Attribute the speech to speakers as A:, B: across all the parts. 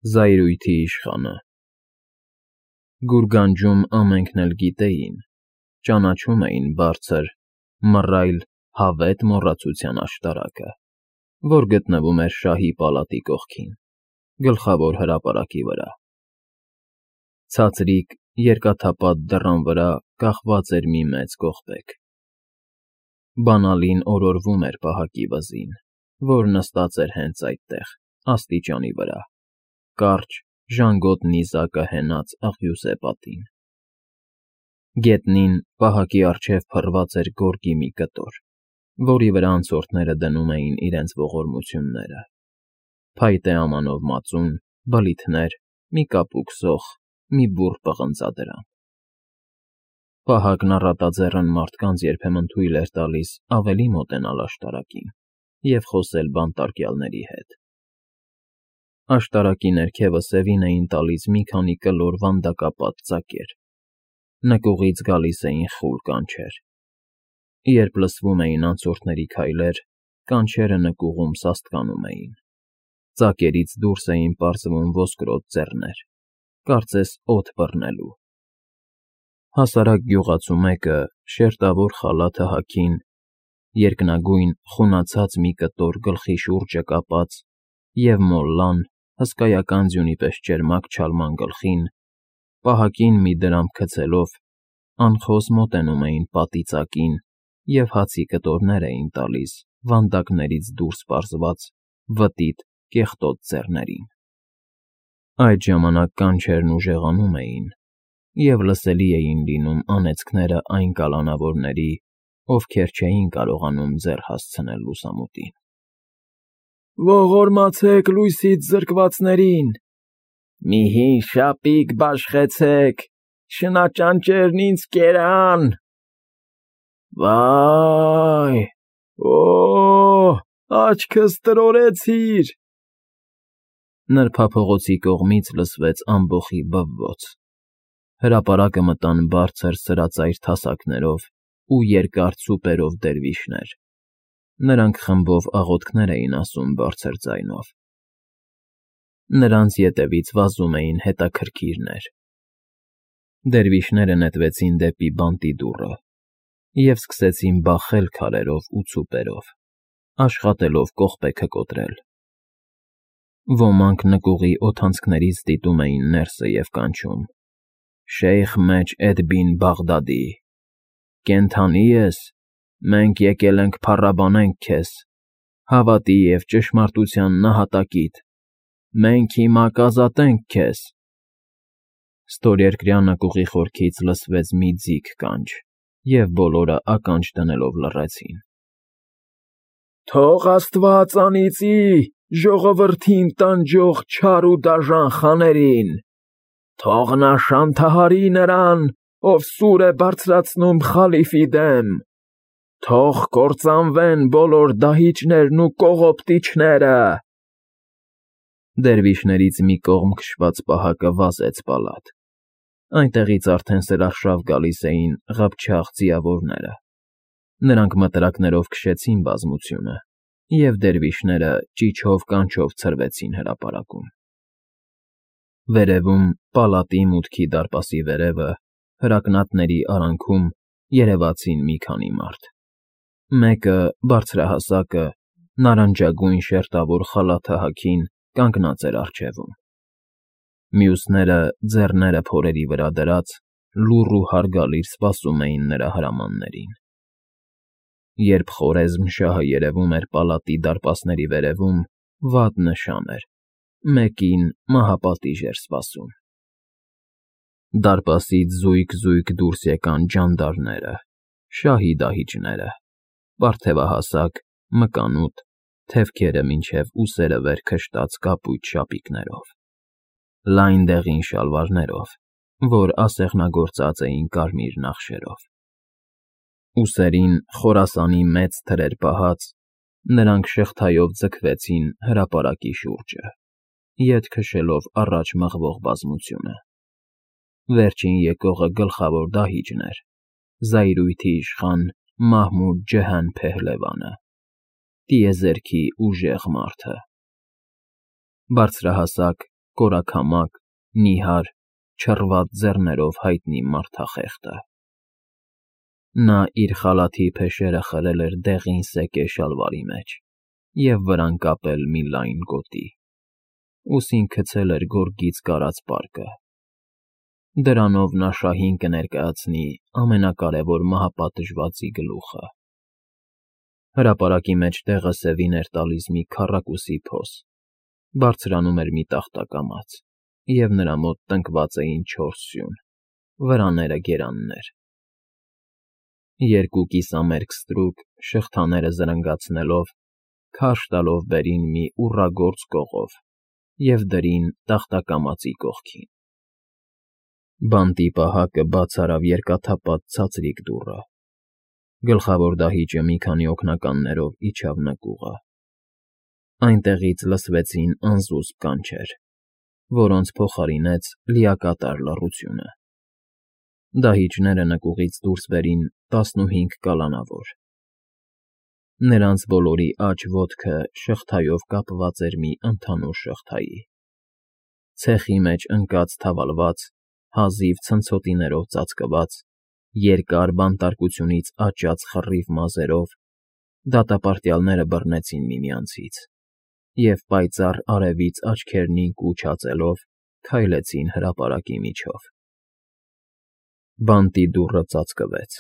A: Զայրույթի իշխանը։ Գուրգանջում ամենքն էլ գիտեին, ճանաչում էին բարձր, մռայլ, հավետ մոռացության աշտարակը, որ գտնվում էր շահի պալատի կողքին, գլխավոր հրապարակի վրա։ Ցածրիկ, երկաթապատ դռան վրա կախված էր մի մեծ կողպեկ։ Բանալին օրորվում էր պահակի վզին, որ նստած էր հենց այդտեղ, աստիճանի վրա, կարճ, ժանգոտ նիզակը հենած աղյուսե պատին։ Գետնին պահակի առջև փռված էր գորգի մի կտոր, որի վրա անցորդները դնում էին իրենց ողորմությունները՝ փայտե ամանով մածուն, բլիթներ, մի կապուկ սոխ, մի բուռ պղնձադրամ։ Պահակն առատաձեռն մարդկանց երբեմն թույլ էր տալիս ավելի մոտենալ աշտարակին և խոսել բանտարկյալների հետ։ Աշտարակի ներքևը սևին էին տալիս մի քանի կլոր վանդակապատ ծակեր, նկուղից գալիս էին խուլ կանչեր։ Երբ լսվում էին անցորդների քայլեր, կանչերը նկուղում սաստկանում էին, ծակերից դուրս էին պարզվում ոսկրոտ ձեռներ, կարծես օդ բռնելու։ Հասարակ գյուղացու մեկը, շերտավոր խալաթը հագին, երկնագույն խունացած մի կտոր գլխի շուրջը կապած և մոլլան, հսկայական ձյունի պես ճերմակ չալման գլխին, պահակին մի դրամ գցելով, անխոս մոտենում էին պատի ծակին և հացի կտորներ էին տալիս վանդակներից դուրս պարզված վտիտ, կեղտոտ ձեռներին։ Այդ ժամանակ կանչերն ուժեղանում էին, և լսելի էին լինում անեծքները այն կալանավորների, ովքեր չէին կարողանում ձեռ հասցնել լուսամուտին։ «Ողորմացեք լույսից զրկվածներին, մի հին շապիկ բաշխեցեք, շնաճանճերն ինձ կերան… Վայ, օ՜, աչքս տրորեցիր…» Նրբափողոցի կողմից լսվեց ամբոխի բվոց։ Հրապարակը մտան բարձր սրածայր թասակներով ու երկար ծուպերով դերվիշներ, նրանք խմբով աղոթքներ էին ասում բարձր ձայնով։ Նրանց ետևից վազում էին հետաքրքիրներ։ Դերվիշները նետվեցին դեպի բանտի դուռը և սկսեցին բախել քարերով ու ծուպերով, աշխատելով կողպեքը կոտրել։ Ոմանք նկուղի օդանցքներից դիտում էին ներսը և կանչում. «Շեյխ Մեջ Էդ֊Բին Բաղդադի, կենդանի՞ ես, մենք եկել ենք փառաբանենք քեզ, հավատի և ճշմարտության նահատակիդ, մենք հիմա կազատենք քեզ»։ Ստորերկրյա նկուղի խորքից լսվեց մի ձիգ կանչ, և բոլորը ականջ դնելով լռեցին։ «Թող Աստված անիծի ժողովրդին տանջող չար ու դաժան խաներին, թող նա շանթահարի նրան, ով սուր է բարձրացնում խալիֆի դեմ, թող կործանվեն բոլոր դահիճներն ու կողոպտիչները»։ Դերվիշներից մի կողմ քշված պահակը վազեց պալատ։ Այնտեղից արդեն սրարշավ գալիս էին ղափչաղ ձիավորները։ Նրանք մտրակներով քշեցին բազմությունը, և դերվիշները ճիչով֊կանչով ցրվեցին հրապարակում։ Վերևում, պալատի մուտքի դարպասի վերևը, հրակնատների արանքում երևացին մի քանի մարդ։ Մեկը, բարձրահասակը, նարնջագույն շերտավոր խալաթը հագին, կանգնած էր առջևում։ Մյուսները, ձեռները փորերի վրա դրած, լուռ ու հարգալից սպասում էին նրա հրամաններին։ Երբ Խորեզմ շահը երևում էր պալատի դարպասների վերևում, վատ նշան էր. մեկին մահապատիժ էր սպասում։ Դարպասից զույգ֊զույգ դուրս եկան ջանդարները, շահի դահիճները, պարթևահասակ, մկանուտ, թևքերը մինչև ուսերը վեր քշտած կապույտ շապիկներով, լայն դեղին շալվարներով, որ ասեղնագործած էին կարմիր նախշերով։ Ուսերին Խորասանի մեծ թրեր պահած, նրանք շղթայով ձգվեցին հրապարակի շուրջը, ետ քշելով առաջ մղվող բազմությունը։ Վերջին եկողը գլխավոր դահիճն էր, զայրույթի իշխան Մահմուդ Ջհան Փեհլևանը, տիեզերքի ուժեղ մարդը։ Բարձրահասակ, կորաքամակ, նիհար, չռված ձեռներով հայտնի մարդախեղտը։ Նա իր խալաթի փեշերը խրել էր դեղին սեկե շալվարի մեջ և վրան կապել մի լայն գոտի, ուսին գցել էր գորգից կարած պարկը։ Դրանով նա շահին կներկայացնի ամենակարևոր մահապատժվածի գլուխը։ Հրապարակի մեջ տեղը սևին էր տալիս մի քառակուսի փոս, բարձրանում էր մի տախտակամաց, և նրա մոտ տնկված էին 4 սյուն, վրաները գերաններ։ Երկու կիսամերկ ստրուկ, շղթաները զրնգացնելով, քարշ տալով բերին մի ուռագործ կողով և դրին տախտակամածի կողքին։ Բանտի պահակը բաց արավ երկաթափած ցածրիկ դուռը։ Գլխավոր դահիճը մի քանի օգնականներով իջավ նկուղը։ Այնտեղից լսվեցին անզուսպ կանչեր, որոնց փոխարինեց լիակատար լռությունը։ Դահիճները նկուղից դուրս բերին 15 կալանավոր։ Նրանց բոլորի աջ ոտքը շղթայով կապված էր մի ընդհանուր շղթայի։ Ցեխի մեջ ընկած թավալված, հազիվ ցնցոտիներով ծածկված, երկար բանտարկությունից աճած խռիվ մազերով դատապարտյալները բռնեցին միմյանցից և պայծառ արևից աչքերնին կուչ հածելով քայլեցին հրապարակի միջով։ Բանտի դուռը ծածկվեց։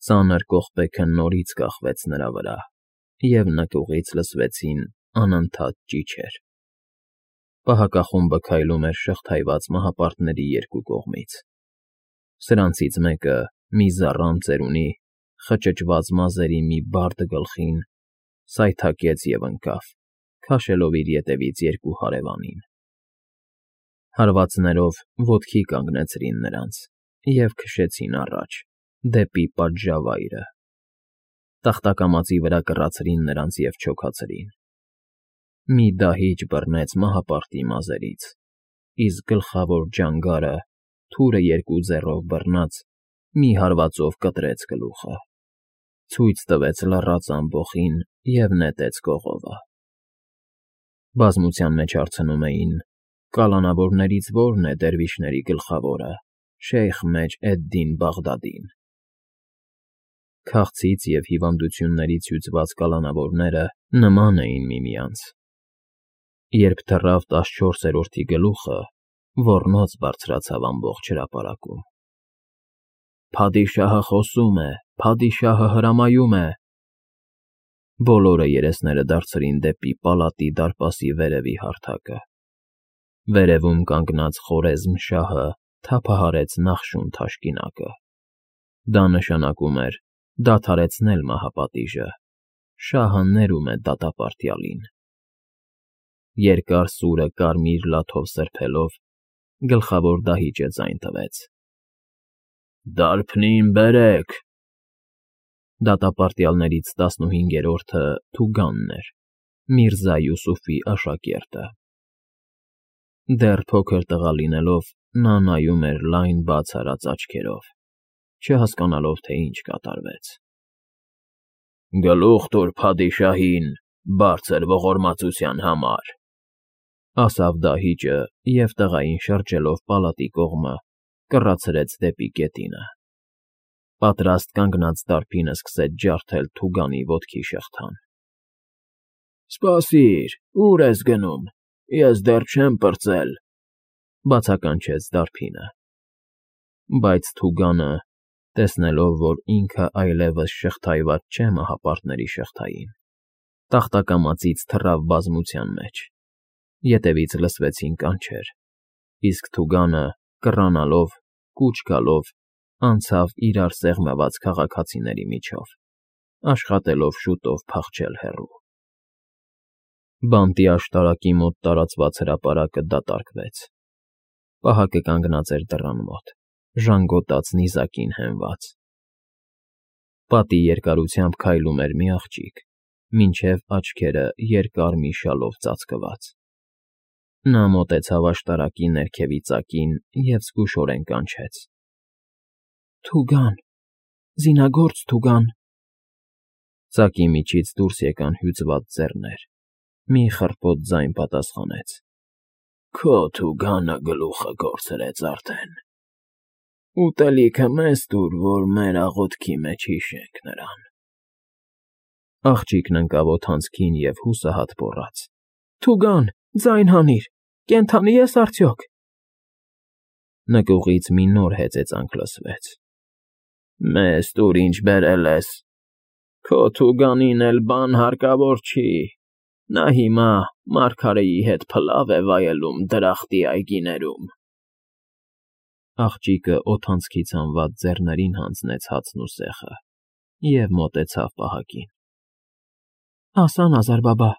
A: Ծանր կողպեքը նորից կախվեց նրա վրա, և նկուղից լսվեցին անընդհատ ճիչեր։ Պահակախումբը քայլում էր շղթայված մահապարտների երկու կողմից։ Սրանցից մեկը, մի զառամ ծերունի, խճճված մազերի մի բարդ գլխին, սայթաքեց և ընկավ, քաշելով իր ետևից երկու հարևանին։ Հարվածներով ոտքի կանգնեցրին նրանց և քշեցին առաջ, դեպի պատժավայրը։ Տախտակամածի վրա կռացրին նրանց և չոքացրին։ Մի դահիճ բռնեց մահապարտի մազերից, իսկ գլխավոր ջանգարը, թուրը երկու ձեռով բռնած, մի հարվածով կտրեց գլուխը, ցույց տվեց լռած ամբոխին և նետեց կողովը։ Բազմության մեջ հարցնում էին. «Կալանավորներից ո՞րն է դերվիշների գլխավորը, Շեյխ Մեջ էդ֊Դին Բաղդադին»։ Քաղցից և հիվանդություններից հյուծված կալանավորները նման էին միմյանց։ Երբ թռավ 14-րդի գլուխը, ոռնոց բարձրացավ ամբողջ հրապարակում։ «Փադիշահը խոսում է, փադիշահը հրամայում է»։ Բոլորը երեսները դարձրին դեպի պալատի դարպասի վերևի հարթակը։ Վերևում կանգնած Խորեզմ շահը թափահարեց նախշուն թաշկինակը։ Դա նշանակում էր դադարեցնել մահապատիժը, շահը ներում է դատապարտյալին։ Երկար սուրը կարմիր լաթով սրբելով, գլխավոր դահիճը ձայն տվեց. «Դարբնին բերեք»։ Դատապարտյալներից 15-րդը Թուգանն էր, Միրզա Յուսուֆի աշակերտը։ Դեռ փոքր տղա լինելով, նա նայում էր լայն բաց արած աչքերով, չհասկանալով, թե ինչ կատարվեց։ «Գլուխ տուր փադիշահին, բարձր ողորմածության համար», ասավ դահիճը և տղային շրջելով պալատի կողմը, կռացրեց դեպի գետինը։ Պատրաստ կանգնած դարբինը սկսեց ջարդել Թուգանի ոտքի շղթան։ «Սպասիր, ո՞ւր ես գնում, ես դեռ չեմ պրծել», բացականչեց դարբինը։ Բայց Թուգանը, տեսնելով, որ ինքը այլևս շղթայված չէ մահապարտների շղթային, տախտակամածից թռավ բազմության մեջ։ Ետևից լսվեցին կանչեր, իսկ Թուգանը, կռանալով, կուչ գալով, անցավ իրար սեղմված քաղաքացիների միջով, աշխատելով շուտով փախչել հեռու։ Բանտի աշտարակի մոտ տարածված հրապարակը դատարկվեց։ Պահակը կանգնած էր դռան մոտ, ժանգոտած նիզակին հենված։ Պատի երկարությամբ քայլում էր մի աղջիկ, մինչև աչքերը երկար մի շալով ծածկված։ Նա մոտեցավ աշտարակի ներքևի ծակին և զգուշորեն կանչեց. «Թուգան, զինագործ Թուգան»։ Ծակի միջից դուրս եկան հյուծված ձեռներ, մի խռպոտ ձայն պատասխանեց։ Քո թուգանը գլուխը կորցրեց արդեն։ Ուտելիքը մեզ տուր, որ մեր աղոթքի մեջ հիշենք նրան։ Աղջիկն ընկավ օդանցքին և հուսահատ գոռաց. Թուգան, ձայն հանիր, կենդանի ես արդյոք։ Նկուղից մի նոր հեծեծանք լսվեց. Մեզ տուր ինչ բերել ես, քո թուգանին էլ բան հարկավոր չի, նա հիմա մարգարեի հետ փլավ է վայելում դրախտի այգիներում։ Աղջիկը օդանցքից հանված ձեռներին հանձնեց հացն ու սեխը և մոտեցավ պահակին։ Ասա, Նազար֊բաբա,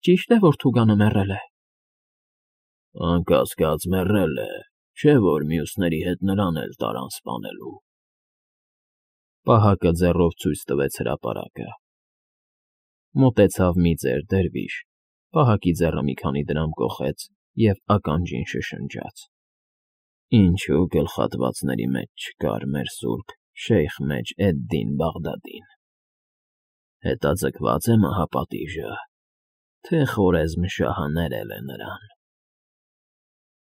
A: ճի՞շտ է, որ թուգանը մեռել է։ Անկասկած մեռել է, չէ՞ որ մյուսների հետ նրան էլ տարան սպանելու։ Պահակը ձեռով ցույց տվեց հրապարակը։ Մոտեցավ մի ծեր դերվիշ, պահակի ձեռը մի քանի դրամ կոխեց և ականջին շշնջաց. Ինչու գլխատվածների մեջ չկար մեր սուրբ Շեյխ Մեջ Էդ֊Դին Բաղդադին։ Հետաձգված է մահապատիժը, թե Խորեզմ շահը ներել է նրան։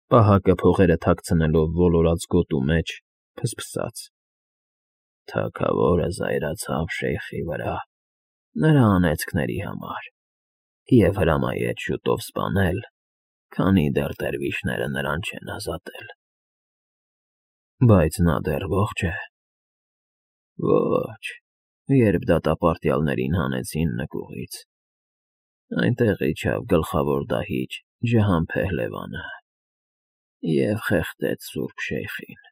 A: Պահակը փողերը թաքցնելով ոլորած գոտու մեջ ֆսֆսաց. Թագավորը զայրացավ շեյխի վրա, նրա անեծքների համար, և հրամայեց շուտով սպանել, քանի դեռ դերվիշները նրան չեն ազատել։ Բայց նա դեռ ողջ է։ Ոչ, երբ դատապարտյալներին հանեցին նկուղից, այնտեղ իջավ գլխավոր դահիճ Ջհան Փեհլևանը և խեղդեց սուրբ շեյխին։